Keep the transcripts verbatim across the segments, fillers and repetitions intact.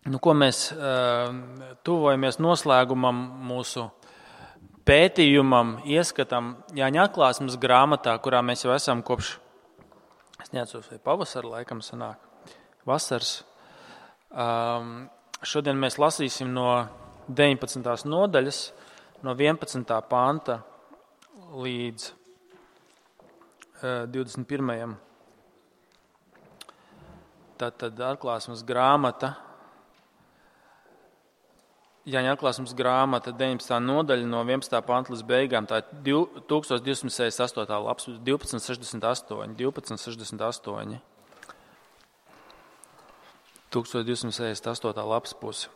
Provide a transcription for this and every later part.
Nu, ko mēs tuvojamies noslēgumam mūsu pētījumam, ieskatam Jāņa atklāsmes grāmatā, kurā mēs jau esam kopš, es neatceros, vai pavasara laikam sanāk, vasaras. Um, šodien mēs lasīsim no deviņpadsmitās nodaļas, no vienpadsmitā panta līdz uh, divdesmit pirmajam. Tātad atklāsmes grāmata, Jāņa atklāsmes grāmata, deviņpadsmitā nodaļa no vienpadsmitā panta līdz beigām, tā ir tūkstoš divsimt sešdesmit astotā lapas, divpadsmit sešdesmit astoņi, divpadsmit sešdesmit astoņi. tūkstoš divsimt sešdesmit astotā lapas puse.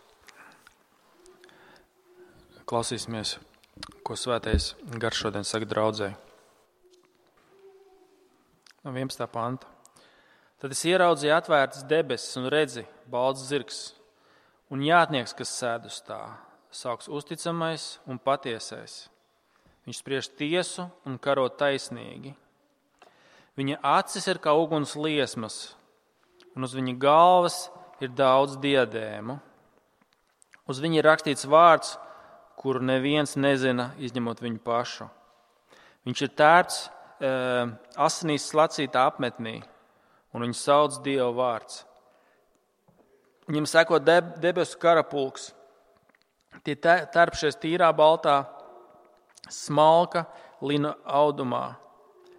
Klausīsimies, ko svētais gars šodien saka draudzei. No vienpadsmitā panta. Tad es ieraudzīju atvērtas debesis un redzi balts zirgs. Un jātnieks, kas sēd uz tā, sauks uzticamais un patiesais. Viņš spriež tiesu un karo taisnīgi. Viņa acis ir kā uguns liesmas, un uz viņa galvas ir daudz diadēmu. Uz viņa ir rakstīts vārds, kuru neviens nezina, izņemot viņu pašu. Viņš ir tērpts e, asinīs slacītā apmetnī, un viņu sauc Dieva vārds. Viņam seko deb, debesu karapulks. Tie terpšies tīrā baltā smalka lina audumā,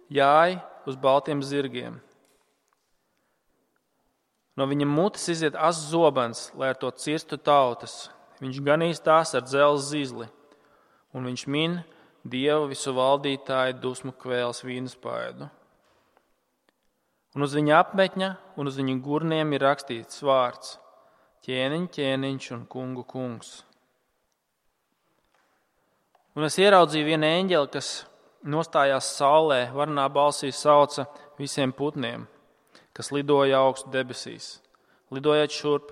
jāj uz baltiem zirgiem. No viņa mutes iziet asas zobens, lai ar to cirstu tautas. Viņš ganīs tās ar dzelzs zīzli, un viņš min Dieva visu valdītāju dusmu kvēles vīnaspaidu. Un uz viņa apmetņa un uz viņa gurniem ir rakstīts vārds: ķēniņ, ķēniņš un kungu kungs. Un es ieraudzīju vienu eņģeli, kas nostājās saulē, varnā balsī sauca visiem putniem, kas lidoja augstu debesīs. Lidojiet šurp,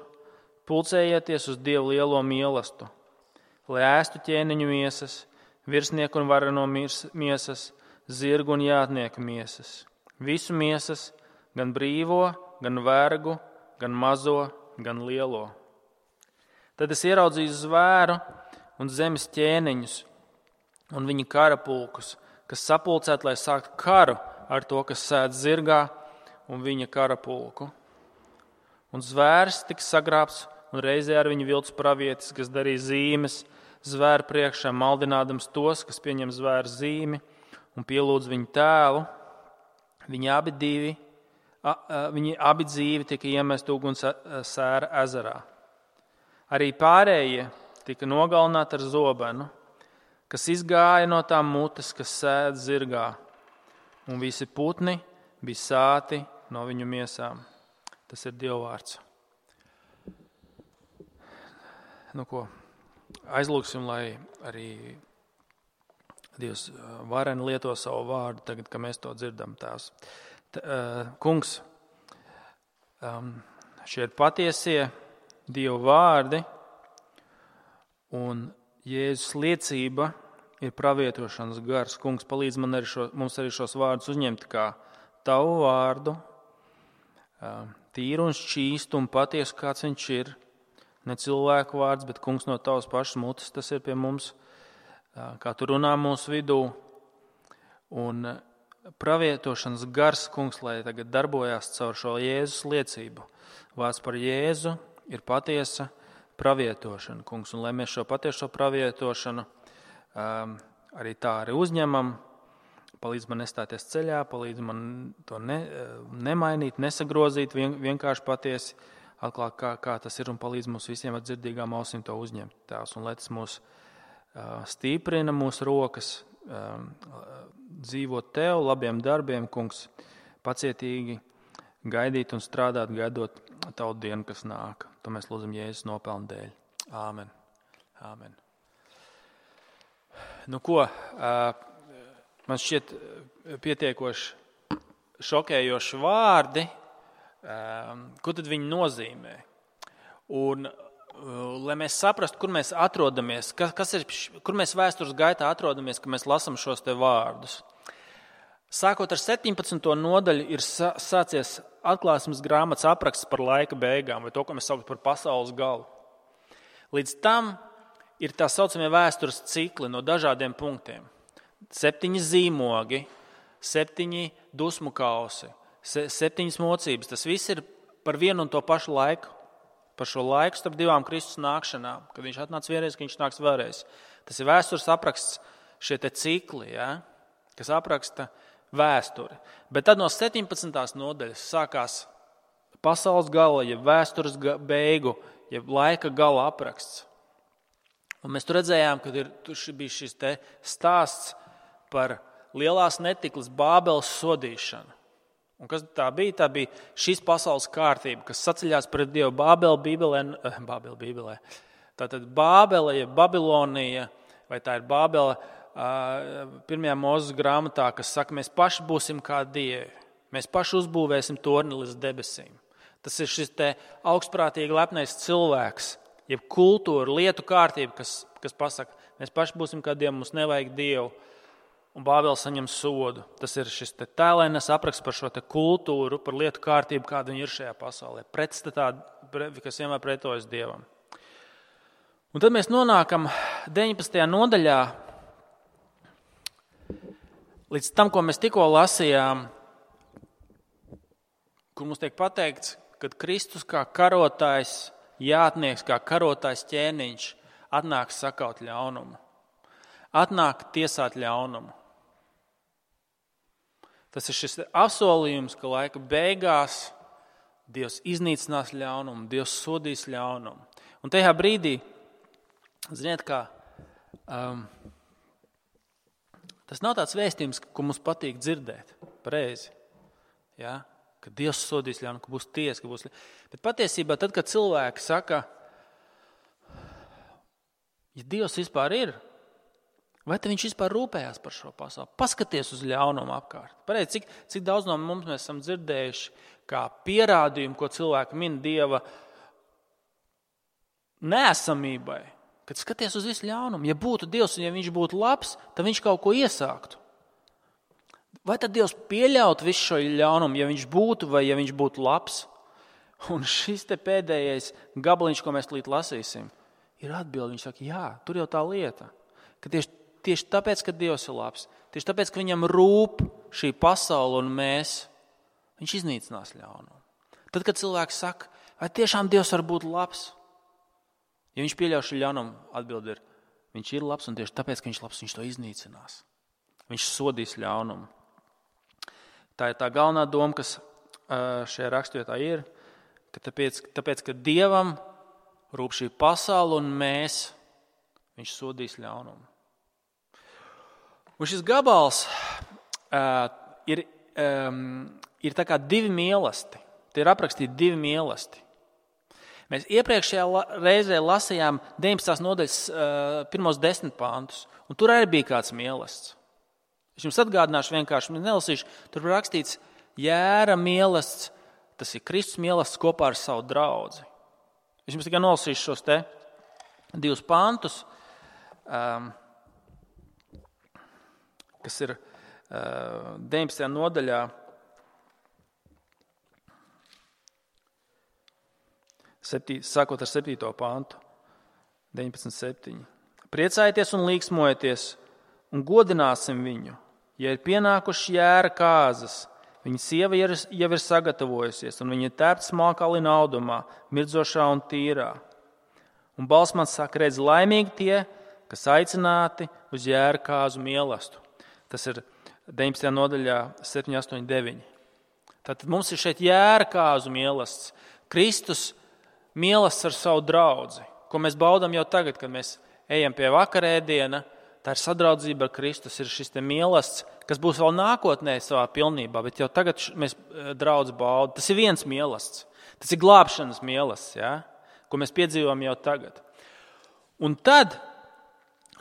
pulcējieties uz Dievu lielo mielastu, lai ēstu ķēniņu miesas, virsnieku un vareno miesas, zirgu un jātnieku miesas. Visu miesas, gan brīvo, gan vergu, gan mazo, gan lielo. Tad es ieraudzīju zvēru un zemes ķēniņus un viņa karapulkus, kas sapulcēti, lai sāktu karu ar to, kas sēd zirgā un viņa karapulku. Un zvērs tika sagrābts un reizē ar viņu vilts pravietis, kas darīja zīmes zvēru priekšā, maldinādams tos, kas pieņem zvēru zīmi un pielūdz viņu tēlu. Viņi abi divi Viņi abi dzīvi tika iemest uguns sēra ezerā. Arī pārējie tika nogalināti ar zobenu, kas izgāja no tām mutes, kas sēd zirgā, un visi putni bija sāti no viņu miesām. Tas ir Dieva vārds. Nu ko, aizlūksim, lai arī Dievs vareni lieto savu vārdu tagad, kad mēs to dzirdam, Tēvs. Kungs, šie ir patiesie Dieva vārdi, un Jēzus liecība ir pravietošanas gars. Kungs, palīdz man arī šo, mums arī šos vārdus uzņemt kā tavu vārdu, tīru un šķīstu un patiesu, kāds viņš ir. Ne cilvēku vārds, bet kungs no tavas pašas mutes, tas ir pie mums, kā tu runā mūsu vidū. Un pravietošanas gars, kungs, lai tagad darbojās caur šo Jēzus liecību. Vārds par Jēzu ir patiesa pravietošana, kungs, un lai mēs šo patieso pravietošanu um, arī tā arī uzņemam, palīdz man nestāties ceļā, palīdz man to ne, nemainīt, nesagrozīt, vien, vienkārši patiesi atklāt, kā, kā tas ir, un palīdz mums visiem ar dzirdīgām ausīm to uzņemt, Tēvs, un lai tas mūs uh, stiprina, mūsu rokas, um, dzīvot Tev, labiem darbiem, kungs, pacietīgi gaidīt un strādāt, gaidot Tavu dienu, kas nāk. To mēs lūdzam Jēzus nopelnu dēļ. Āmen. Āmen. Nu ko, man šķiet pietiekoši šokējoši vārdi, ko tad viņi nozīmē. Un, lai mēs saprastu, kur mēs atrodamies, kas ir, kur mēs vēstures gaitā atrodamies, kad mēs lasam šos te vārdus. Sākot ar septiņpadsmito nodaļu ir sācies atklāsmes grāmatas apraksts par laika beigām, vai to, ko mēs saucam par pasaules galu. Līdz tam ir tā saucamie vēstures cikli no dažādiem punktiem. Septiņi zīmogi, septiņi dusmu kausi, septiņas mocības. Tas viss ir par vienu un to pašu laiku. Par šo laiku starp divām Kristus nākšanām, kad viņš atnāca vienreiz, kad viņš nāks vēlreiz. Tas ir vēstures apraksts, šie te cikli, ja, kas apraksta vēsturi. Bet tad no septiņpadsmitās nodaļas sākās pasaules gala, jeb vēstures beigu, jeb laika gala apraksts. Un mēs tur redzējām, ka ir, tur bija šis te stāsts par lielās netiklas Bābeles sodīšanu. Un kas tā bija? Tā bija šīs pasaules kārtība, kas saceļās pret Dievu. Bābele Bībelē, Bābele Bībelē. Tātad Bābele, ja Babilonija, vai tā ir Bābele pirmajā Mūzes grāmatā, kas saka, mēs paši būsim kā dievi. Mēs paši uzbūvēsim torni līdz debesīm. Tas ir šis te augstprātīgi lepnais cilvēks, jeb kultūra, lietu kārtība, kas, kas pasaka, mēs paši būsim kā dievi, mums nevajag Dievu. Un Bābele saņem sodu. Tas ir šis te tēlainas apraksts par šo te kultūru, par lietu kārtību, kāda viņa ir šajā pasaulē. Pretstatā, kas vienmēr pretojas Dievam. Un tad mēs nonākam deviņpadsmitajā nodaļā līdz tam, ko mēs tikko lasījām, kur mums tiek pateikts, kad Kristus kā karotājs, jātnieks, kā karotājs ķēniņš atnāk sakaut ļaunumu. Atnāk tiesāt ļaunumu. Tas ir šis apsolījums, ka laika beigās Dievs iznīcinās ļaunumu, Dievs sodīs ļaunumu. Un tajā brīdī, ziniet kā, um, tas nav tāds vēstījums, ko mums patīk dzirdēt, pareizi, ja? Ka Dievs sodīs ļaunumu, ka būs tiesa, ka būs ļaunumu. Bet patiesībā tad, kad cilvēki saka, ja Dievs vispār ir, vai te viņš vispār rūpējās par šo pasauli? Paskaties uz ļaunumu apkārt. Pareizi, cik, cik daudz no mums mēs esam dzirdējuši kā pierādījumu, ko cilvēki min Dieva neesamībai. Kad skaties uz visu ļaunumu, ja būtu Dievs un ja viņš būtu labs, tad viņš kaut ko iesāktu. Vai tad Dievs pieļaut visu šo ļaunumu, ja viņš būtu vai ja viņš būtu labs? Un šis te pēdējais gabaliņš, ko mēs līdz lasīsim, ir atbildi. Viņš saka, jā, tur jau tā lieta, ka tieši Tieši tāpēc, ka Dievs ir labs, tieši tāpēc, ka viņam rūp šī pasaule un mēs, viņš iznīcinās ļaunumu. Tad, kad cilvēks saka, vai tiešām Dievs var būt labs? Ja viņš pieļauj šo ļaunumu, atbildi ir, viņš ir labs un tieši tāpēc, ka viņš ir labs, viņš to iznīcinās. Viņš sodīs ļaunumu. Tā ir tā galvenā doma, kas šajā raksturvietā ir, ka tāpēc, tāpēc, ka Dievam rūp šī pasaule un mēs, viņš sodīs ļaunumu. Un šis gabals uh, ir, um, ir tā kā divi mīlesti. Tie ir aprakstīti divi mīlesti. Mēs iepriekšējā la, reizē lasījām deviņpadsmitās nodaļas uh, pirmos desmit pantus, un tur arī bija kāds mīlests. Es jums atgādināšu vienkārši, nelasīšu, tur ir rakstīts jēra mīlests, tas ir Kristus mīlests kopā ar savu draudzi. Es jums tikai nolasīšu šos te divus pantus. Um, kas ir uh, deviņpadsmitajā nodaļā, septī, sākot ar septīto pantu, deviņpadsmit septiņi. Priecājieties un līksmojieties un godināsim viņu, ja ir pienākuši jēra kāzas, viņa sieva jau ir sagatavojusies un viņa ir tērpta smalkā lina audumā, mirdzošā un tīrā. Un balss man saka, redz, laimīgi tie, kas aicināti uz jēra kāzu mīlestību. Tas ir deviņpadsmitajā nodaļā septiņi, astoņi, deviņi. Tātad mums ir šeit jēra kāzu mīlestība. Kristus mīlestība ar savu draudzi, ko mēs baudām jau tagad, kad mēs ejam pie vakarēdiena. Tā ir sadraudzība ar Kristus, ir šis te mīlestība, kas būs vēl nākotnē savā pilnībā, bet jau tagad mēs draudzi baudām. Tas ir viens mīlestība. Tas ir glābšanas mīlestība, ja? Ko mēs piedzīvojam jau tagad. Un tad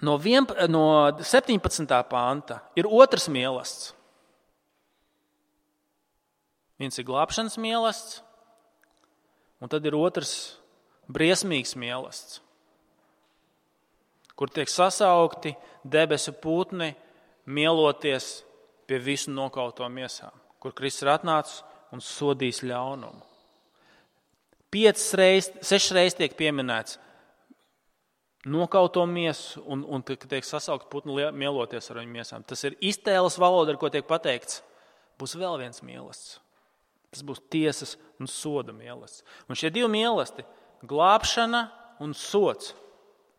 No, vien, no septiņpadsmitā panta ir otrs mīlestība. Viens ir glābšanas mīlestība, un tad ir otrs briesmīgs mīlestība, kur tiek sasaukti debesu putni, mieloties pie visu nokauto miesām, kur Kristus ir atnācis un sodījis ļaunumu. Piecas reizes, sešas reizes tiek pieminēts nokauto miesu un, un tiek sasaukt putni mieloties ar viņu miesām. Tas ir iztēles valoda, ar ko tiek pateikts, būs vēl viens mielasts. Tas būs tiesas un soda mielasts. Un šie divi mielasti, glābšana un sods,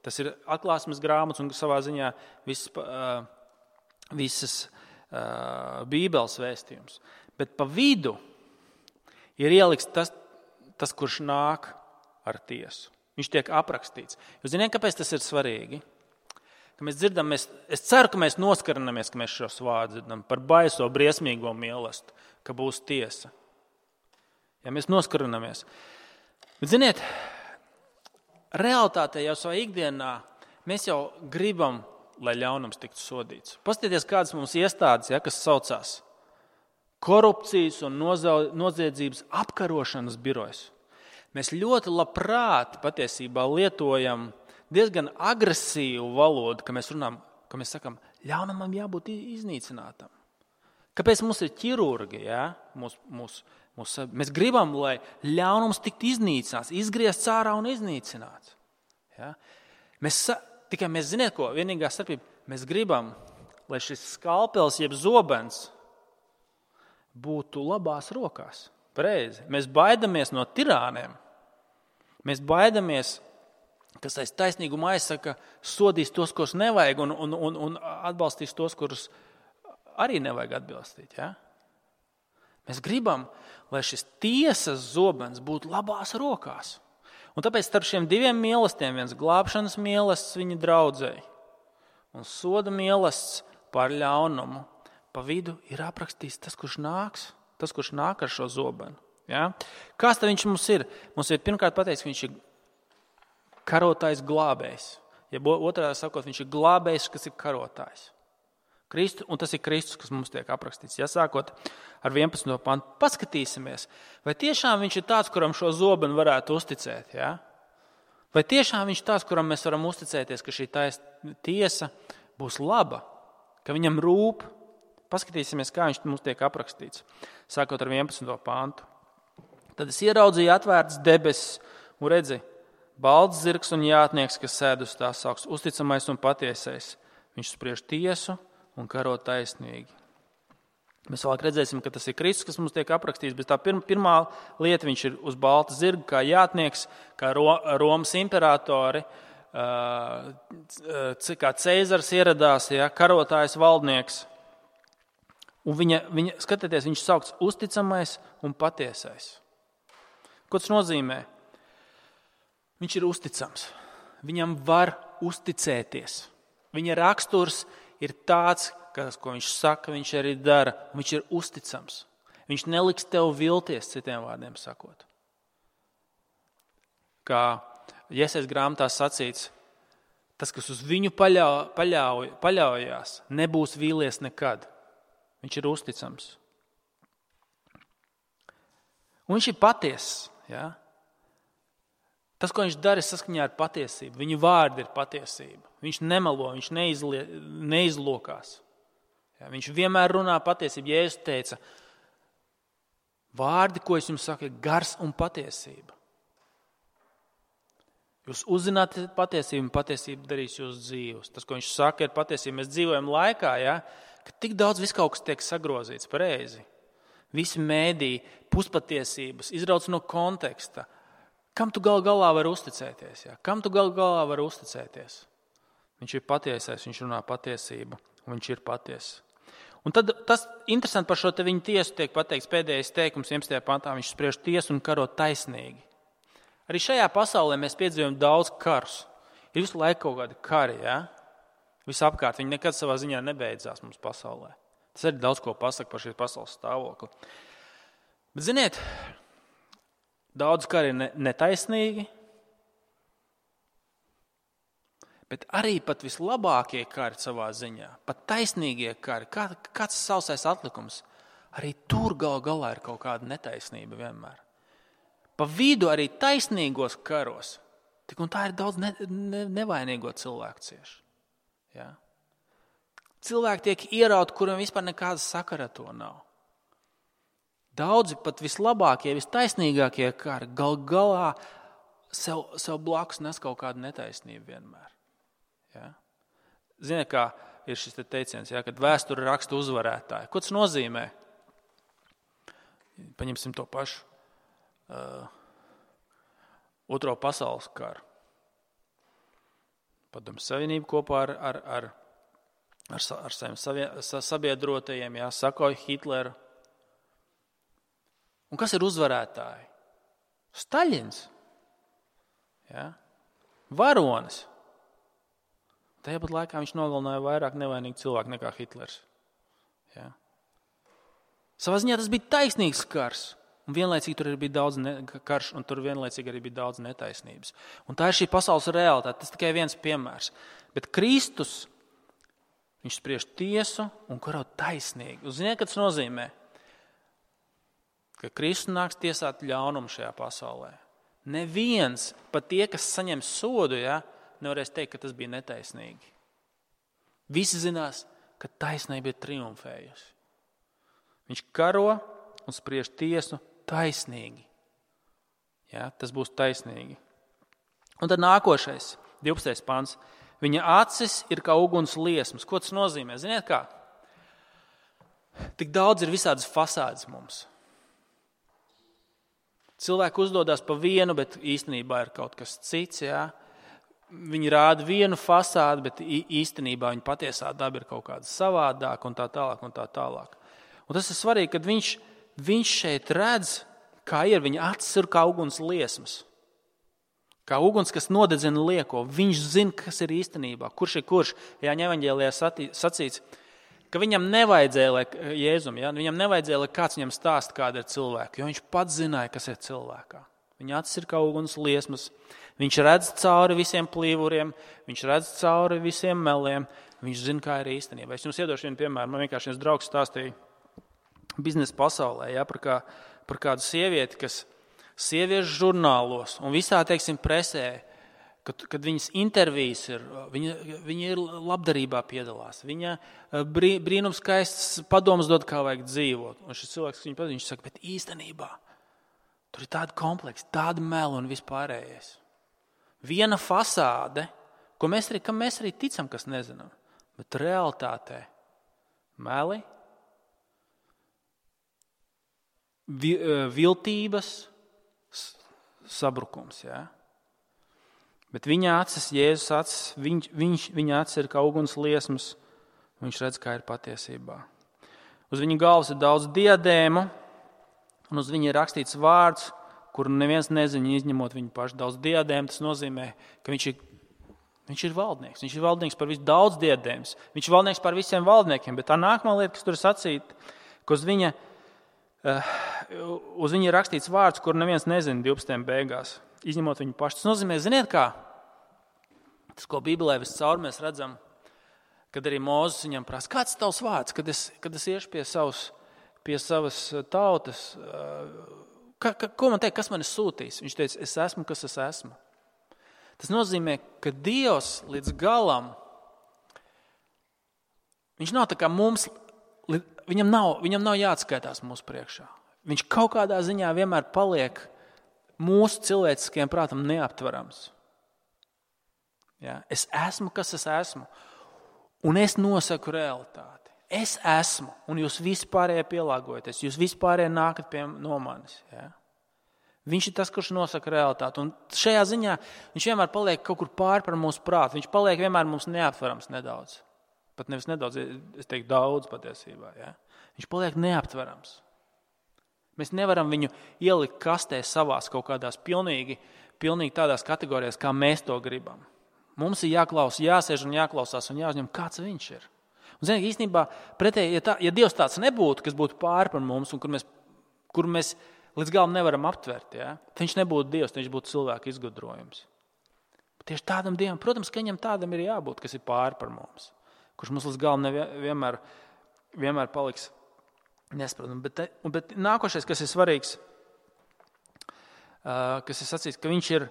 tas ir atklāsmes grāmatas un savā ziņā visas, uh, visas uh, Bībeles vēstījums. Bet pa vidu ir ieliks tas, tas, kurš nāk ar tiesu. Viņš tiek aprakstīts. Jūs zināt, kāpēc tas ir svarīgi? Ka mēs dzirdam, mēs, es ceru, ka mēs noskarinamies, ka mēs šos vārdus dzirdam par baiso, briesmīgo mielastu, ka būs tiesa. Ja mēs noskarinamies. Bet ziniet, realitātē jau savā ikdienā mēs jau gribam, lai ļaunums tiktu sodīts. Paskatieties, kādas mums iestādes, ja, kas saucās korupcijas un noziedzības apkarošanas birojas. Mēs ļoti labprāt patiesībā lietojam diezgan agresīvu valodu, ka mēs runājam, ka mēs sakam, ļaunumam jābūt iznīcinātam. Kāpēc mums ir ķirurgi? Ja? Mūs, mūs, mūs, mēs gribam, lai ļaunums tiktu iznīcināts, izgriezts ārā un iznīcināts. Ja? Mēs, tikai mēs ziniet, ko vienīgā starpība, mēs gribam, lai šis skalpels jeb zobens būtu labās rokās. Pareizi. Mēs baidamies no tirāniem. Mēs baidamies, kas aiz taisnīguma aizsaka, sodīs tos, kurus nevajag, un, un, un, un atbalstīs tos, kurus arī nevajag atbalstīt. Ja? Mēs gribam, lai šis tiesas zobens būtu labās rokās. Un tāpēc starp šiem diviem mīlestiem, viens glābšanas mīlestis viņa draudzēji un soda mīlestis par ļaunumu, pa vidu ir aprakstīts tas, kurš nāks. Tas, kurš nāk ar šo zobenu. Ja? Kāds tad viņš mums ir? Mums ir pirmkārt pateicis, ka viņš ir karotājs glābējs. Ja otrā sakot, viņš ir glābējs, kas ir karotājs. Kristu, un tas ir Kristus, kas mums tiek aprakstīts. Ja? Sākot ar vienpadsmito pantu, paskatīsimies, vai tiešām viņš ir tāds, kuram šo zobenu varētu uzticēt. Ja? Vai tiešām viņš ir tāds, kuram mēs varam uzticēties, ka šī tiesa būs laba, ka viņam rūp. Paskatīsimies, kā viņš mums tiek aprakstīts, sākot ar vienpadsmito pantu. Tad es ieraudzīju atvērtas debesis un redzi, balts zirgs un jātnieks, kas sēd uz tās sauks, uzticamais un patiesais. Viņš spriež tiesu un karo taisnīgi. Mēs vēlāk redzēsim, ka tas ir Kristus, kas mums tiek aprakstīts, bet tā pirma, pirmā lieta, viņš ir uz balta zirga, kā jātnieks, kā Ro, Romas imperatori, kā Ceizars ieradās, ja, karotājs valdnieks. Un viņa, viņa, skatieties, viņš saukts uzticamais un patiesais. Ko tas nozīmē? Viņš ir uzticams. Viņam var uzticēties. Viņa raksturs ir tāds, kas, ko viņš saka, viņš arī dara. Viņš ir uzticams. Viņš neliks tev vilties, citiem vārdiem sakot. Kā Jesais grāmatā sacīts, tas, kas uz viņu paļauj, paļauj, paļaujās, nebūs vīlies nekad. Viņš ir uzticams. Un viņš ir patiess. Ja? Tas, ko viņš dara, ir saskaņā ar patiesību. Viņa vārdi ir patiesība. Viņš nemelo, viņš neizlie, neizlokās. Ja? Viņš vienmēr runā patiesību. Jēzus teica, vārdi, ko es jums saku, ir gars un patiesība. Jūs uzzināt patiesību, un patiesība darīs jūsu dzīves. Tas, ko viņš saka, ir patiesība. Mēs dzīvojam laikā, ja? Ka tik daudz viss kaut kas tiek sagrozīts pareizi. Visi mēdī, puspatiesības, izrauc no konteksta. Kam tu gal galā vari uzticēties? Ja? Kam tu gal galā vari uzticēties? Viņš ir patiesais, viņš runā patiesību, un viņš ir patiess. Un tad tas interesanti par šo te viņa tiesu tiek pateikts pēdējais teikums, vienpadsmitajā pantā, viņš spriež tiesu un karo taisnīgi. Arī šajā pasaulē mēs piedzīvojam daudz karus. Ir visu laiku kaut kādi kari, ja? Visapkārt, viņi nekad savā ziņā nebeidzās mums pasaulē. Tas arī daudz ko pasaka par šīs pasaules stāvokli. Bet, ziniet, daudz kari ir netaisnīgi, bet arī pat vislabākie kari savā ziņā, pat taisnīgie kari, kā, kāds sausais atlikums, arī tur gal galā ir kaut kāda netaisnība vienmēr. Pa vidu arī taisnīgos karos, tik un tā ir daudz ne, ne, nevainīgo cilvēku cieši. Ja? Cilvēki tiek ierauti, kuriem vispār nekāda sakara to nav. Daudzi pat vislabākie, vistaisnīgākie kari gal galā sev, sev blakus nes kaut kādu netaisnību vienmēr. Ja? Ziniet, kā ir šis te teiciens, ja, kad vēsture raksta uzvarētāji. Ko tas nozīmē? Paņemsim to pašu. Uh, otro pasaules karu. Padomju Savienību kopā ar, ar, ar, ar, ar saviem savie, sabiedrotajiem, jā, sakoja Hitleru. Un kas ir uzvarētāji? Staļins. Jā. Varonis. Tajā pat laikā viņš nogalināja vairāk nevainīgu cilvēku nekā Hitlers. Jā. Savā ziņā tas bija taisnīgs kars. Un vienlaicīgi tur bija daudz ne, karš, un tur vienlaicīgi arī bija daudz netaisnības. Un tā ir šī pasaules realitāte. Tas tikai viens piemērs. Bet Kristus, viņš spriež tiesu un karo taisnīgi. Un ziniet, ka tas nozīmē? Ka Kristus nāks tiesāt ļaunumu šajā pasaulē. Neviens, pat tie, kas saņem sodu, ja, nevarēs teikt, ka tas bija netaisnīgi. Visi zinās, ka taisnība ir triumfējusi. Viņš karo un spriež tiesu taisnīgi. Ja, tas būs taisnīgi. Un tad nākošais, divpadsmitais pants. Viņa acis ir kā uguns liesmas. Ko tas nozīmē? Ziniet kā? Tik daudz ir visādas fasādes mums. Cilvēki uzdodas pa vienu, bet īstenībā ir kaut kas cits. Ja? Viņi rāda vienu fasādi, bet īstenībā viņa patiesā daba ir kaut kāda savādāka un tā tālāk un tā tālāk. Un tas ir svarīgi, kad viņš, viņš šeit redz, kā ir viņa acis ir kā uguns liesmas. Kā uguns, kas nodedzina lieko. Viņš zina, kas ir īstenībā. Kurš ir kurš? Jāņa evaņģēlijā sacīts, ka viņam nevajadzēja, lai Jēzum, ja? Viņam nevajadzēja, lai kāds viņam stāst, kāda ir cilvēka, jo viņš pats zināja, kas ir cilvēkā. Viņa acis ir kā uguns liesmas. Viņš redz cauri visiem plīvuriem, viņš redz cauri visiem meliem. Viņš zina, kā ir īstenībā. Es jums iedošu vienu piemēru. Man vienkārši viens draugs stāstīja biznesa pasaulē, ja, par, kā, par kādu sievieti, kas sieviešu žurnālos un visā, teiksim, presē, kad, kad viņas intervijas ir, viņa, viņa ir labdarībā piedalās. Viņa brī, brīnums skaists padomus dod, kā vajag dzīvot. Un šis cilvēks, viņu patīk, viņš saka, bet īstenībā tur ir tāda kompleksa, tāda mela un vispārējais. Viena fasāde, ko mēs arī, kam mēs arī ticam, kas nezinām, bet realitātē meli, viltības, sabrukums. Ja? Bet viņa acis, Jēzus acis, viņš, viņš, viņa acis ir kā uguns liesmas, viņš redz, kā ir patiesībā. Uz viņa galvas ir daudz diadēmu, un uz viņa ir rakstīts vārds, kuru neviens nezina, izņemot viņu pašu. Daudz diadēmu, tas nozīmē, ka viņš ir, viņš ir valdnieks. Viņš ir valdnieks par visu daudz diadēmas. Viņš ir valdnieks par visiem valdniekiem, bet tā nākamā lieta, kas tur ir sacīta, ka uz viņa Uh, uz viņu ir rakstīts vārds, kur neviens nezina divpadsmitajā beigās, izņemot viņu pašu. Tas nozīmē, ziniet kā? Tas, ko Bībelē viscaur mēs redzam, kad arī Mūzes viņam prasa, kāds ir tavs vārds, kad es, kad es iešu pie, savas, pie savas tautas, ka, ka, ko man teikt, kas man ir sūtījis? Viņš teica, es esmu, kas es esmu. Tas nozīmē, ka Dievs līdz galam, viņš nav tā kā mums, Viņam nav, viņam nav jāatskaitās mūsu priekšā. Viņš kaut kādā ziņā vienmēr paliek mūsu cilvēciskajam prātam neaptverams. Ja? Es esmu, kas es esmu. Un es nosaku realitāti. Es esmu, un jūs vispārējie pielāgojaties. Jūs vispārējie nākat pie no manis. Ja? Viņš ir tas, kurš nosaka realitāti. Un šajā ziņā viņš vienmēr paliek kaut kur pār par mūsu prātu. Viņš paliek vienmēr mums neaptverams nedaudz. Pat nevis nedaudz, es teiktu daudz patiesībā. Ja? Viņš paliek neaptverams. Mēs nevaram viņu ielikt kastē savās kaut kādās pilnīgi, pilnīgi tādās kategorijās, kā mēs to gribam. Mums ir jāklaus, jāsēž un jāklausās un jāuzņem, kāds viņš ir. Un ziniet, īstenībā pretēji, ja, tā, ja Dievs tāds nebūtu, kas būtu pāri par mums un kur mēs, kur mēs līdz galam nevaram aptvert, ja? Viņš nebūtu Dievs, viņš būtu cilvēka izgudrojums. Tieši tādam Dievam, protams, ka viņam tādam ir jābūt, kas ir pāri par mums. Kurš mums līdz galam vienmēr, vienmēr paliks nesprotams. Bet, bet nākošais, kas ir svarīgs, kas ir sacīts, ka viņš ir,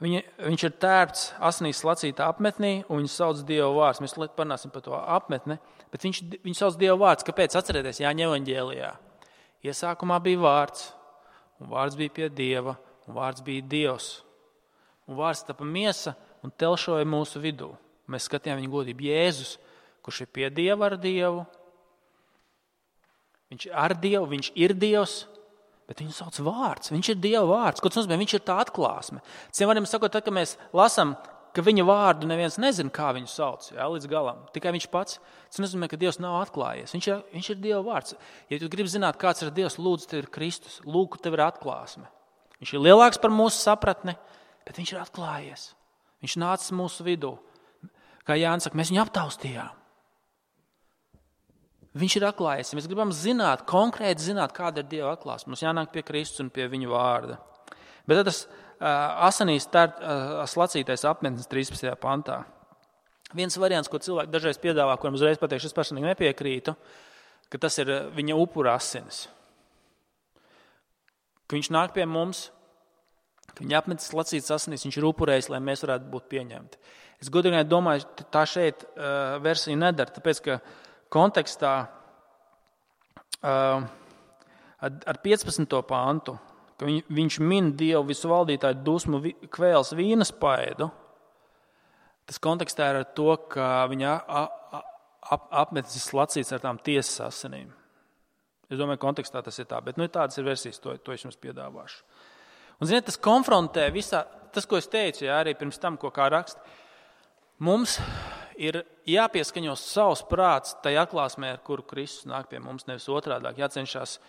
viņa, viņš ir tērpts asinīs slacītā apmetnī, un viņu sauc Dieva vārds. Mēs parunāsim par to apmetni, bet viņš, viņu sauc Dieva vārds. Kāpēc? Atcerieties, Jāņa evaņģēlijā. Iesākumā bija vārds, un vārds bija pie Dieva, un vārds bija Dievs. Un vārds tapa miesa un telšoja mūsu vidū. Mēs skatījām viņa godību. Jēzus, kurš ir pie Dieva ar Dievu, viņš ir ar Dievu, viņš ir Dievs, bet viņu sauc vārds. Viņš ir Dieva vārds. Ko tas nozīmē? Viņš ir tā atklāsme. Ciem varam sakot, tad, kad mēs lasām, ka viņa vārdu neviens nezina, kā viņu sauc, jā, līdz galam. Tikai viņš pats. Tas nozīmē, ka Dievs nav atklājies. Viņš ir, viņš ir Dieva vārds. Ja tu gribi zināt, kāds ir Dievs, lūdzu, tev ir Kristus. Lūk, tev ir atklāsme. Viņš ir lielāks par mūsu sapratni, bet viņš ir atklājies. Viņš nācis mūsu vidū. Kā Jānis saka, mēs viņu aptaustījām. Viņš ir atklājies. Ja mēs gribam zināt, konkrēti zināt, kāda ir Dieva atklāsme, mums jānāk pie Kristus un pie viņa vārda. Bet tad tas uh, asinīs tār, uh, slacītais apmetnis trīspadsmitajā pantā. Viens variants, ko cilvēki dažreiz piedāvā, kuram uzreiz pateikšu, es personīgi nepiekrītu, ka tas ir viņa upura asinis. Ka viņš nāk pie mums, ka viņa apmetis slacītas asinis, viņš ir upurējis, lai mēs varētu būt pieņemti. Es godīgi domāju, tā šeit uh, versija nedara, tāpēc, ka kontekstā uh, ar piecpadsmito pāntu, ka viņ, viņš min Dievu visu valdītāju dusmu vi, kvēls vīnas paidu, tas kontekstā ir ar to, ka viņa ap, apmetis slacīts ar tām tiesas asinīm. Es domāju, kontekstā tas ir tā, bet nu, tādas ir versijas, to, to es jums piedāvāšu. Un, ziniet, tas konfrontē visā, tas, ko es teicu, jā, arī pirms tam, ko kā raksta, mums ir jāpieskaņo savs prāts tai atklāsmē, ar kuru Kristus nāk pie mums, nevis otrādāk. Jācenšas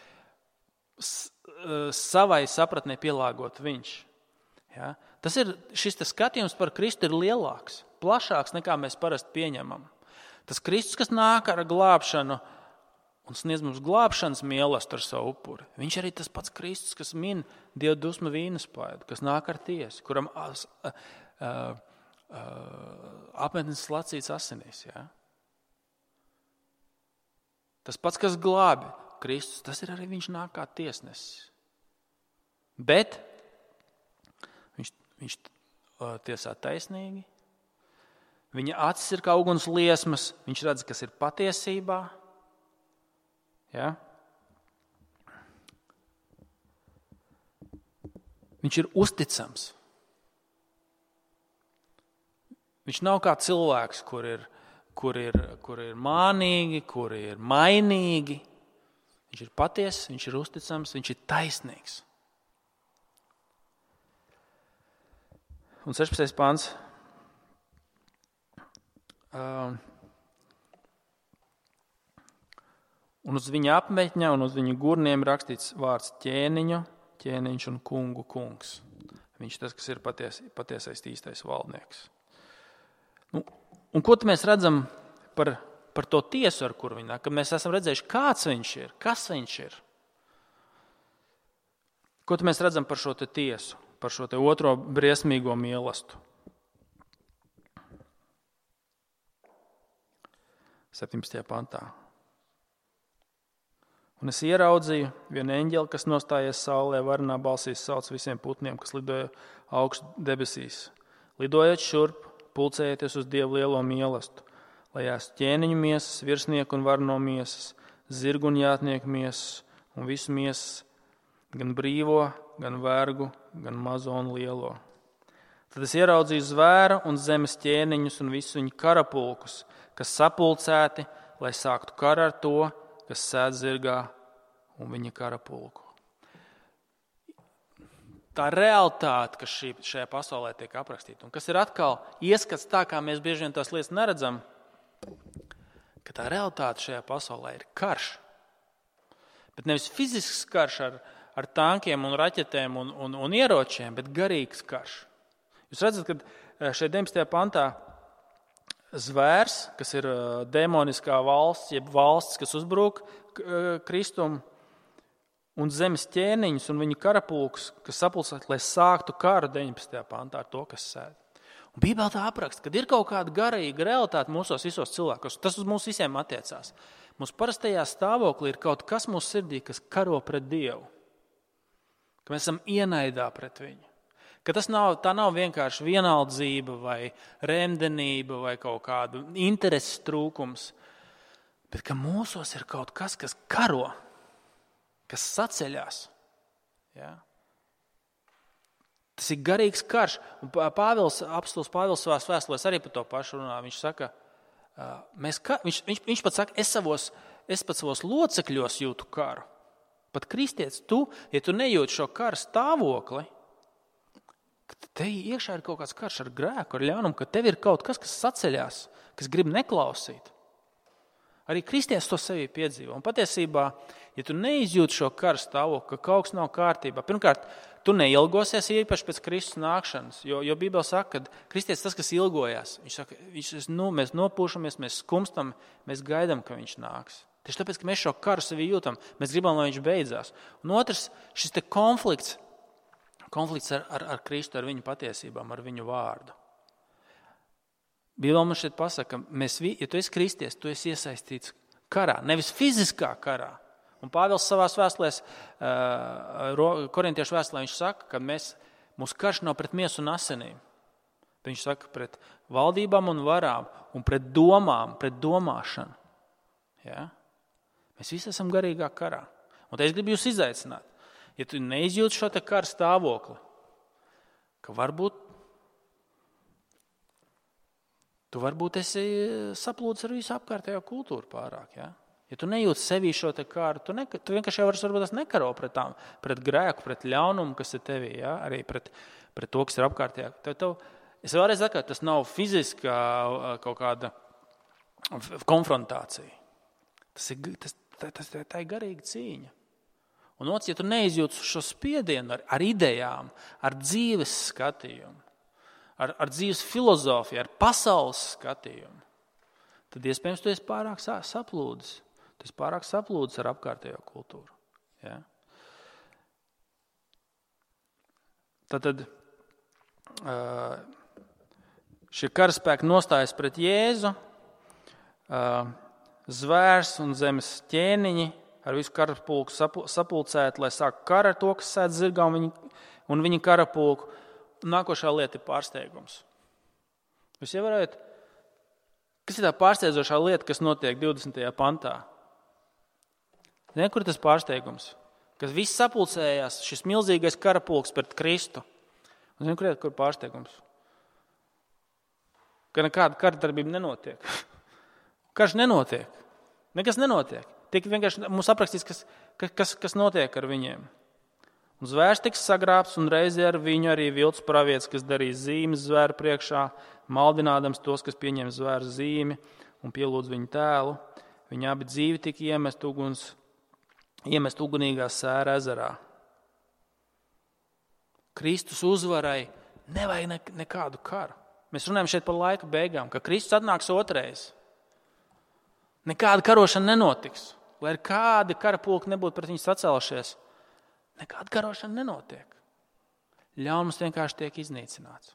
savai sapratnē pielāgot viņš. Ja? Tas ir, šis tas skatījums par Kristu ir lielāks, plašāks nekā mēs parasti pieņemam. Tas Kristus, kas nāk ar glābšanu un sniedz mums glābšanas mīlestību ar savu upuri, viņš arī tas pats Kristus, kas min Dieva dusmu vīnas paidu, kas nāk ar tiesu, kuram as, uh, uh, Uh, apmetnis slacīts asinīs. Ja? Tas pats, kas glābi Kristus, tas ir arī viņš nāk kā tiesnesis. Bet viņš, viņš uh, tiesā taisnīgi. Viņa acis ir kā uguns liesmas, viņš redz, kas ir patiesībā. Ja? Viņš ir uzticams. Viņš nav kā cilvēks, kur ir, kur ir, kur ir mānīgi, kur ir mainīgi. Viņš ir patiess, viņš ir uzticams, viņš ir taisnīgs. Un sešpadsmitais pants. Uh, un uz viņa apmetņa un uz viņa gurniem rakstīts vārds ķēniņu, ķēniņš un kungu kungs. Viņš tas, kas ir paties, patiesais īstais valdnieks. Nu, un ko mēs redzam par, par to tiesu, ar kuru viņi nāk? Kad mēs esam redzējuši, kāds viņš ir, kas viņš ir. Ko mēs redzam par šo te tiesu, par šo te otro briesmīgo mīlestību? septiņpadsmitajā pantā. Un es ieraudzīju vienu eņģeli, kas nostājies saulē, varenā balsīs sauc visiem putniem, kas lidoja augstu debesīs. Lidojot šurp, pulcējieties uz Dievu lielo mīlestību, lai ēst ķēniņu miesas, virsnieku un varno miesas, zirgu un jātnieku miesas un visu miesas, gan brīvo, gan vergu, gan mazo un lielo. Tad es ieraudzīju zvēra un zemes ķēniņus un visu viņu karapulkus, kas sapulcēti, lai sāktu karu ar to, kas sēd zirgā un viņa karapulku. Tā realitāte, kas šī, šajā pasaulē tiek aprakstīta, un kas ir atkal ieskats tā, kā mēs bieži vien tās lietas neredzam, ka tā realitāte šajā pasaulē ir karš. Bet nevis fizisks karš ar, ar tankiem un raķetēm un, un, un ieročiem, bet garīgs karš. Jūs redzat, ka šeit deviņpadsmitajā pantā zvērs, kas ir demoniskā valsts, jeb valsts, kas uzbrūk Kristum, un zemes ķēniņus un viņa karapulkus, kas sapulcēti, lai sāktu karu deviņpadsmitajā pantā ar to, kas sēd. Un Bībelē tā apraksta, kad ir kaut kāda garīga realitāte mūsos visos cilvēkos, tas uz mums visiem attiecās. Mums parastajā stāvoklī ir kaut kas mūsu sirdī, kas karo pret Dievu. Ka mēs esam ienaidā pret viņu. Ka tas nav, tā nav vienkārši vienaldzība vai remdenība vai kaut kāda intereses trūkums, bet ka mūsos ir kaut kas, kas karo, kas saceļās. Ja? Tas ir garīgs karš. Un Pāvils, apostols Pāvils savās vēstulēs arī par to pašu runā. Viņš saka, mēs, viņš, viņš, viņš pat saka, es, savos, es pat savos locekļos jūtu karu. Pat kristietis, tu, ja tu nejūti šo kara stāvokli, ka te iekšā ir kaut kāds karš ar grēku, ar ļaunumu, ka tev ir kaut kas, kas saceļās, kas grib neklausīt. Arī kristietis to sevī piedzīvo. Un patiesībā, ja tu neizjūti šo kara stāvokli, ka kaut kas nav kārtībā, pirmkārt, tu neilgosies īpaši pēc Kristus nākšanas, jo, jo Bībele saka, ka kristietis tas, kas ilgojās, viņš saka, viņš, nu, mēs nopūšamies, mēs skumstam, mēs gaidām, ka viņš nāks. Tieši tāpēc, ka mēs šo karu sevī jūtam, mēs gribam, lai viņš beidzās. Un otrs, šis te konflikts, konflikts ar, ar, ar Kristu, ar viņu patiesībām, ar viņu vārdu. Bībele mums šeit pasaka, mēs, ja tu esi kristietis, tu esi iesaistīts karā, nevis fiziskā karā. Un Pāvils savās vēstulēs, korintiešu vēstulē, viņš saka, ka mēs, mūsu karš nav pret miesu un asinīm. Viņš saka, pret valdībām un varām un pret domām, pret domāšanu. Ja? Mēs visi esam garīgā karā. Un te es gribu jūs izaicināt. Ja tu neizjūti šo te kara stāvokli, ka varbūt tu varbūt esi saplūdis ar visu apkārtējo kultūru pārāk. Ja, ja tu nejūti sevī šo te kāru, tu, ne, tu vienkārši jau varbūt nekaro pret, tām, pret grēku, pret ļaunumu, kas ir tevī, ja, arī pret, pret to, kas ir apkārtējā. Tev, tev, es vēlreiz saku, tas nav fiziskā kaut kāda konfrontācija. Tas ir, tas, tas, tā ir garīga cīņa. Un otrs, ja tu neizjūti šo spiedienu ar, ar idejām, ar dzīves skatījumu, ar, ar dzīves filozofiju, ar pasaules skatījumu, tad iespējams tu esi pārāk saplūdis. Tu esi pārāk saplūdis ar apkārtējo kultūru. Ja? Tātad šie karaspēki nostājas pret Jēzu, zvērs un zemes ķēniņi ar visu karapulku sapulcēt, lai sāk kara ar to, kas sēd zirgā un viņa, un viņa karapulku. Nākošā lieta ir pārsteigums. Jūs ievērojat, kas ir tā pārsteidzošā lieta, kas notiek divdesmitajā pantā? Ziniet, kur tas pārsteigums? Kas viss sapulcējās, šis milzīgais karapulks pret Kristu. Un ziniet, kur ir kur pārsteigums? Ka nekāda karadarbība nenotiek. Karš nenotiek. Nekas nenotiek. Tiek vienkārši mums aprakstīts, kas, kas, kas notiek ar viņiem. Un zvērs tiks sagrābts, un reizē ar viņu arī viltus pravietis, kas darīs zīmes zvēru priekšā, maldinādams tos, kas pieņem zvēru zīmi un pielūdz viņu tēlu. Viņi abi dzīvi tika iemest, uguns, iemest ugunīgā sēra ezerā. Kristus uzvarai nevajag ne, nekādu karu. Mēs runājam šeit par laika beigām, ka Kristus atnāks otrais. Nekāda karošana nenotiks. Lai ir kādi karapulki nebūtu pret viņu sacēlušies, nekāda karošana nenotiek. Ļaunums vienkārši tiek iznīcināts.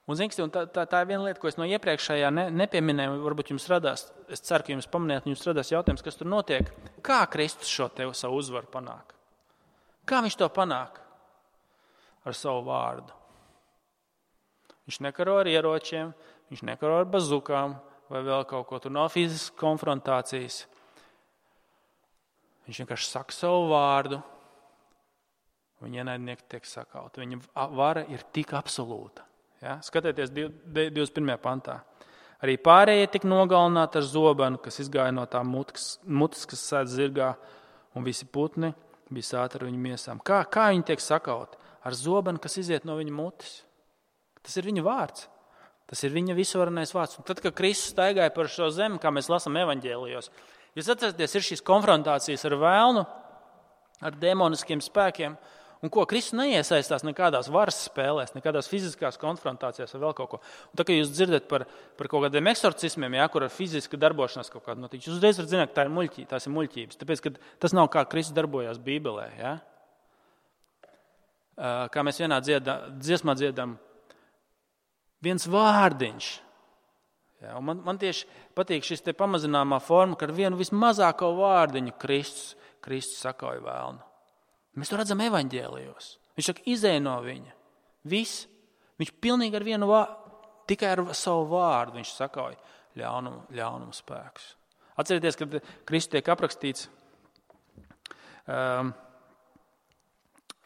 Un, zin, un tā, tā, tā ir viena lieta, ko es no iepriekšējā ne, nepieminēju, varbūt jums radās, es ceru, ka jums pamanījāt, jums radās jautājums, kas tur notiek. Kā Kristus šo tev savu uzvaru panāk? Kā viņš to panāk? Ar savu vārdu. Viņš nekaro ar ieročiem, viņš nekaro ar bazukām vai vēl kaut ko. Tur nav fiziskas konfrontācijas. Viņš vienkārši saka savu vārdu, un ienaidnieki tiek sakauti. Viņa vara ir tik absolūta. Ja? Skatieties divdesmit pirmajā pantā. Arī pārējie tika nogalināti ar zobenu, kas izgāja no tā mutes, mutes kas sēd zirgā, un visi putni bija sāti ar viņu miesām. Kā, kā viņi tiek sakauti? Ar zobenu, kas iziet no viņa mutes. Tas ir viņa vārds. Tas ir viņa visvarenais vārds. Un tad, kad Kristus staigāja par šo zemi, kā mēs lasām evaņģēlijos, jūs atceraties, ir šīs konfrontācijas ar vēlnu, ar demoniskiem spēkiem, un ko Kristus neiesaistās nekādās varas spēlēs, nekādās fiziskās konfrontācijās vai vēl kaut ko. Un tā, kad jūs dzirdat par, par kaut kādiem eksorcismiem, jā, kur ar fiziska darbošanās kaut kāda notiek, jūs uzreiz varat zināt, ka tā ir muļķī, tās ir muļķības, tāpēc, ka tas nav kā Kristus darbojās Bībelē. Jā. Kā mēs vienā dziedā, dziesmā dziedam, viens vārdiņš. Ja, man, man tieši patīk šis te pamazināmā forma, ka ar vienu vismazāko vārdiņu Kristus, Kristus sakauja vēlnu. Mēs to redzam evaņģēlijos. Viņš saka, izej no viņa. Viss. Viņš pilnīgi ar vienu vārdu, tikai ar savu vārdu viņš sakauja ļaunumu, ļaunumu spēkus. Atcerieties, kad Kristus tiek aprakstīts um,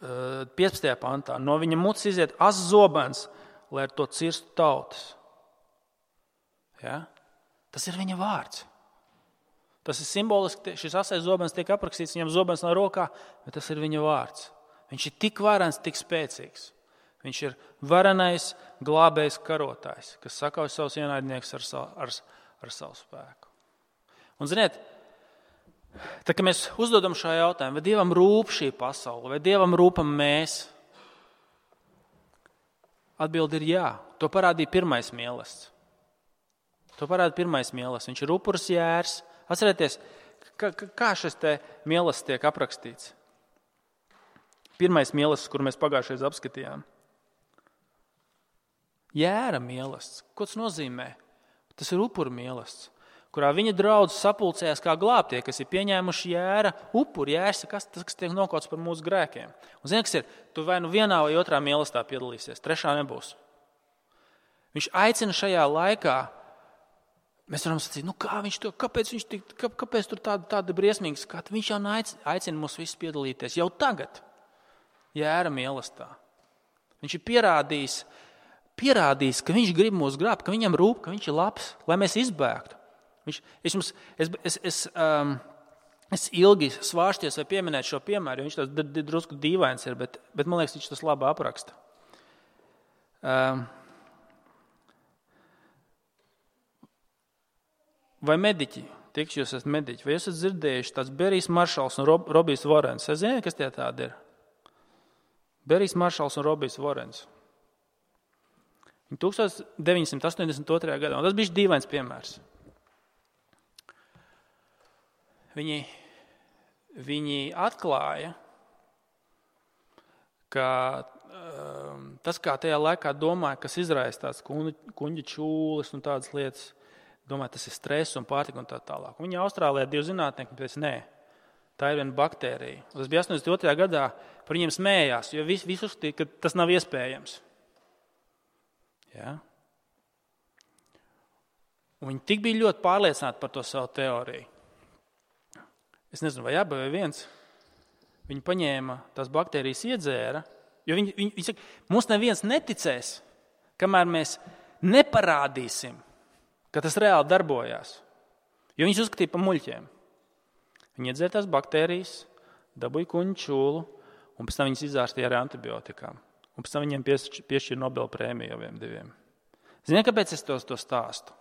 piecpadsmitajā pantā. No viņa mutes iziet azs zobens, lai ar to cirstu tautas. Ja? Tas ir viņa vārds. Tas ir simboliski, šis asais zobens tiek aprakstīts, viņam zobens nav rokā, bet tas ir viņa vārds. Viņš ir tik varens, tik spēcīgs. Viņš ir varenais, glābējs karotājs, kas sakauj savus ienaidniekus ar, ar, ar savu spēku. Un ziniet, tā, kad mēs uzdodam šo jautājumu, vai Dievam rūp šī pasaule, vai Dievam rūpam mēs, atbildi ir jā. To parādīja pirmais mīlestība. To parāda pirmais mīlestība. Viņš ir upuris jērs. Atcerieties, kā, kā šis te mīlestība tiek aprakstīts. Pirmais mīlestība, kur mēs pagājušajā reizē apskatījām. Jēra mīlestība. Ko tas nozīmē? Tas ir upuru mīlestība, kurā viņa draudz sapulcējās kā glābtie, kas ir pieņēmuši jēra upuri. Jērs ir kas, tas, kas tiek nokauts par mūsu grēkiem. Un zini, kas ir? Tu vai nu vienā vai otrā mīlestībā piedalīsies, trešā nebūs. Viņš aicina šajā laikā. Mēs varam sacīt, nu kā viņš to, kāpēc viņš tik, kā, kāpēc tur tāda, tāda briesmīga skata? Viņš jau aicina mūs visus piedalīties jau tagad, jēra mīlestībā. Viņš ir pierādījis, pierādījis, ka viņš grib mūs glābt, ka viņam rūp, ka viņš ir labs, lai mēs izbēgtu. Viņš, es, jums, es, es, es, um, es ilgi svārsties vai pieminēt šo piemēru, jo viņš tas drusku dīvains ir, bet, bet man liekas, viņš tas labi apraksta. Um, Vai mediķi, tiks jūs esat mediķi, vai esat dzirdējuši tāds Berijs Maršals un Rob, Robijs Vorens? Es zinu, kas tie tādi ir. Berijs Maršals un Robijs Vorens. Viņi tukstāts deviņsimt astoņdesmit otrajā gadā, un tas bija dīvains piemērs. Viņi, viņi atklāja, ka um, tas, kā tajā laikā domāja, kas izraisa tāds kuņģa čūles un tādas lietas, domāju, tas ir stress un pārtika un tā tālāk. Viņa Austrālijā divi zinātnieki, bet nē, tā ir viena baktērija. Un tas bija astoņdesmit otrajā gadā, par viņiem smējās, jo visi, visi uzskatīja, ka tas nav iespējams. Ja? Un viņi tik bija ļoti pārliecināti par to savu teoriju. Es nezinu, vai abi vai viens. Viņi paņēma tās baktērijas iedzēra, jo viņi, viņi, viņi saka, mums neviens neticēs, kamēr mēs neparādīsim, ka tas reāli darbojās, jo viņus uzskatīja par muļķiem. Viņi iedzēra tās baktērijas, dabūja kuņģu čūlu, un pēc tam viņas izārstīja ar antibiotikām. Un pēc tam viņiem piešķīra Nobela prēmiju jau vien diviem. Ziniet, kāpēc es to, to stāstu?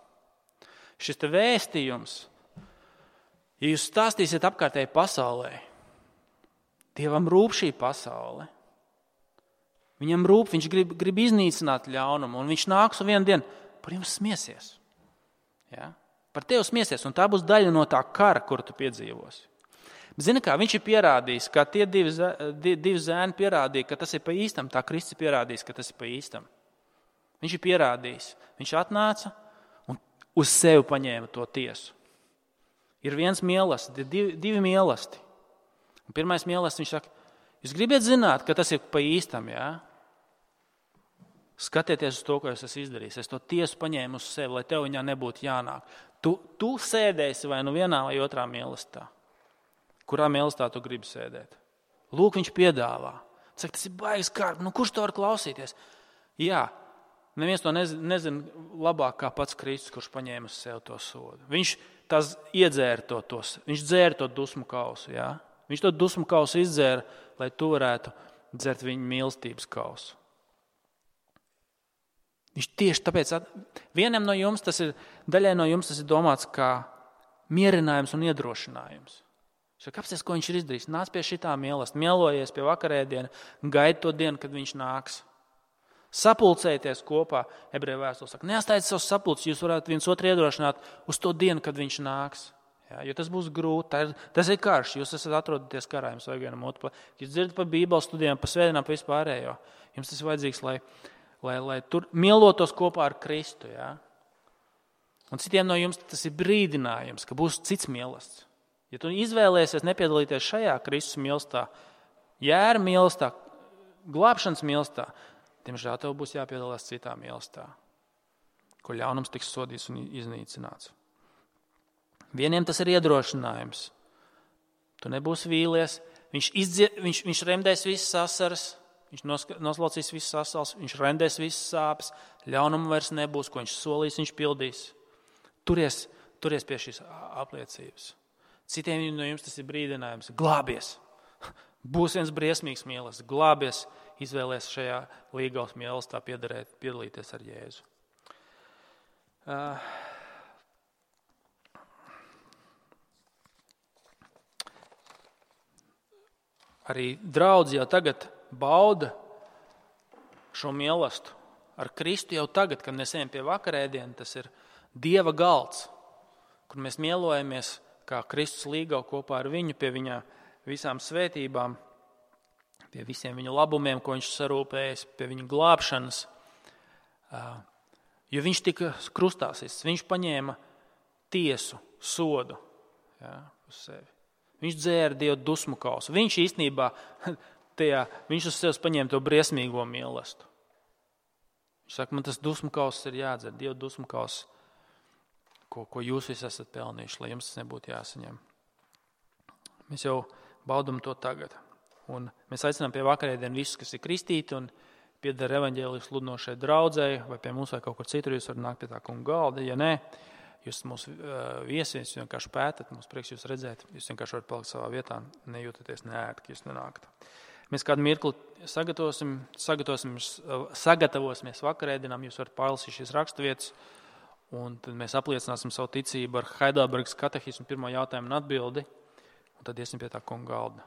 Šis te vēstījums, ja jūs stāstīsiet apkārtēji pasaulē, Dievam rūp šī pasaule. Viņam rūp, viņš grib, grib iznīcināt ļaunumu, un viņš nāks un vienu dienu par jums smiesies. Ja? Par tevi smiesies, un tā būs daļa no tā kara, kuru tu piedzīvosi. Zini kā, viņš ir pierādījis, kā tie divi, divi zēni pierādīja, ka tas ir pa īstam, tā Kristus pierādījis, ka tas ir pa īstam. Viņš ir pierādījis. Viņš atnāca un uz sevi paņēma to tiesu. Ir viens mīlestība, divi, divi mīlesti. Un pirmais mīlestība, viņš saka, jūs gribat zināt, ka tas ir pa īstam, jā? Skatieties uz to, ko es esmu izdarījis. Es to tiesu paņēmu uz sevi, lai tev viņā nebūtu jānāk. Tu, tu sēdēsi vai nu vienā vai otrā mīlestībā. Kurā mīlestībā tu gribi sēdēt? Lūk, viņš piedāvā. Saka, tas ir baigs kārp, nu kurš to var klausīties? Jā, neviens to nezina, nezina labāk kā pats Kristus, kurš paņēma uz sevi to sodu. Viņš tās iedzēra to, tos, viņš dzēra to dusmu kausu, jā? Viņš to dusmu kausu izdzēra, lai tu varētu dzert viņa mīlestības kausu. Viņš tieši tāpēc, vienam no jums tas ir, daļai no jums tas ir domāts kā mierinājums un iedrošinājums. Kāpēc, ko viņš ir izdarījis? Nāc pie šitā mīlestība, mielojies pie vakarēdiena, gaidi to dienu, kad viņš nāks. Sapulcējieties kopā, ebreju vēstule saka, neatstājiet savus sapulces, jūs varētu viens otru iedrošināt uz to dienu, kad viņš nāks. Ja, jo tas būs grūti, tā ir, tas ir karš, jūs esat atrodaties karā, jums vajag vienam otru. Jūs dzirdat par bībeles studijām, par svētdienām, par vispārējo. Jums tas ir vajadzīgs, lai Lai, lai tur mielotos kopā ar Kristu. Ja? Un citiem no jums tas ir brīdinājums, ka būs cits mīlestība. Ja tu izvēlēsies nepiedalīties šajā Kristus mīlestībā, jēra mīlestībā, glābšanas mīlestībā, diemžēl tev būs jāpiedalās citā mīlestībā, ko ļaunums tiks sodīts un iznīcināts. Vieniem tas ir iedrošinājums. Tu nebūsi vīlies, viņš, izdzie, viņš, viņš remdēs visas asaras, viņš noslaucīs visas asaras, viņš remdēs visas sāpes, ļaunumu vairs nebūs, ko viņš solīs, viņš pildīs. Turies, turies pie šīs apliecības. Citiem no jums tas ir brīdinājums. Glābies! Būs viens briesmīgs mīlestības, glābies, izvēlies šajā līgavas mīlestībā piedalīties ar Jēzu. Uh, arī draudzi jau tagad bauda šo mīlestību. Ar Kristu jau tagad, kad mēs ejam pie vakarēdiena, tas ir Dieva galds, kur mēs mielojamies kā Kristus līgava kopā ar viņu pie viņa visām svētībām, pie visiem viņa labumiem, ko viņš sarūpējis, pie viņa glābšanas. Jo viņš tika krustāsis, viņš paņēma tiesu, sodu, ja, uz sevi. Viņš dzēra Dievu dusmu kausu. Viņš īstenībā, tajā, viņš uz sevis paņēma to briesmīgo mīlestību. Viņš saka, man tas dusmu kauss ir jādzer, Dievu dusmu kauss, ko, ko jūs visi esat pelnījuši, lai jums tas nebūtu jāsaņem. Mēs jau baudam to tagad. Un mēs aicinām pie vakarēdienu visus, kas ir kristīti un pieder evaņģēliju sludinošai draudzei, vai pie mums vai kaut kur citur, jūs varat nākt pie tā kunga galda. Ja nē, jūs mūs viesies, jūs vienkārši pētat, mums prieks jūs redzēt, jūs vienkārši varat palikt savā vietā, nejūtaties neērti, ka jūs nenākat. Mēs kādu mirkli sagatavosim, sagatavosim, sagatavosimies vakarēdienām, jūs varat pārlasīt šīs raksturvietas, un tad mēs apliecināsim savu ticību ar Heidelbergas katehismu pirmo jautājumu un atbildi, un tad iesim pie tā kunga galda.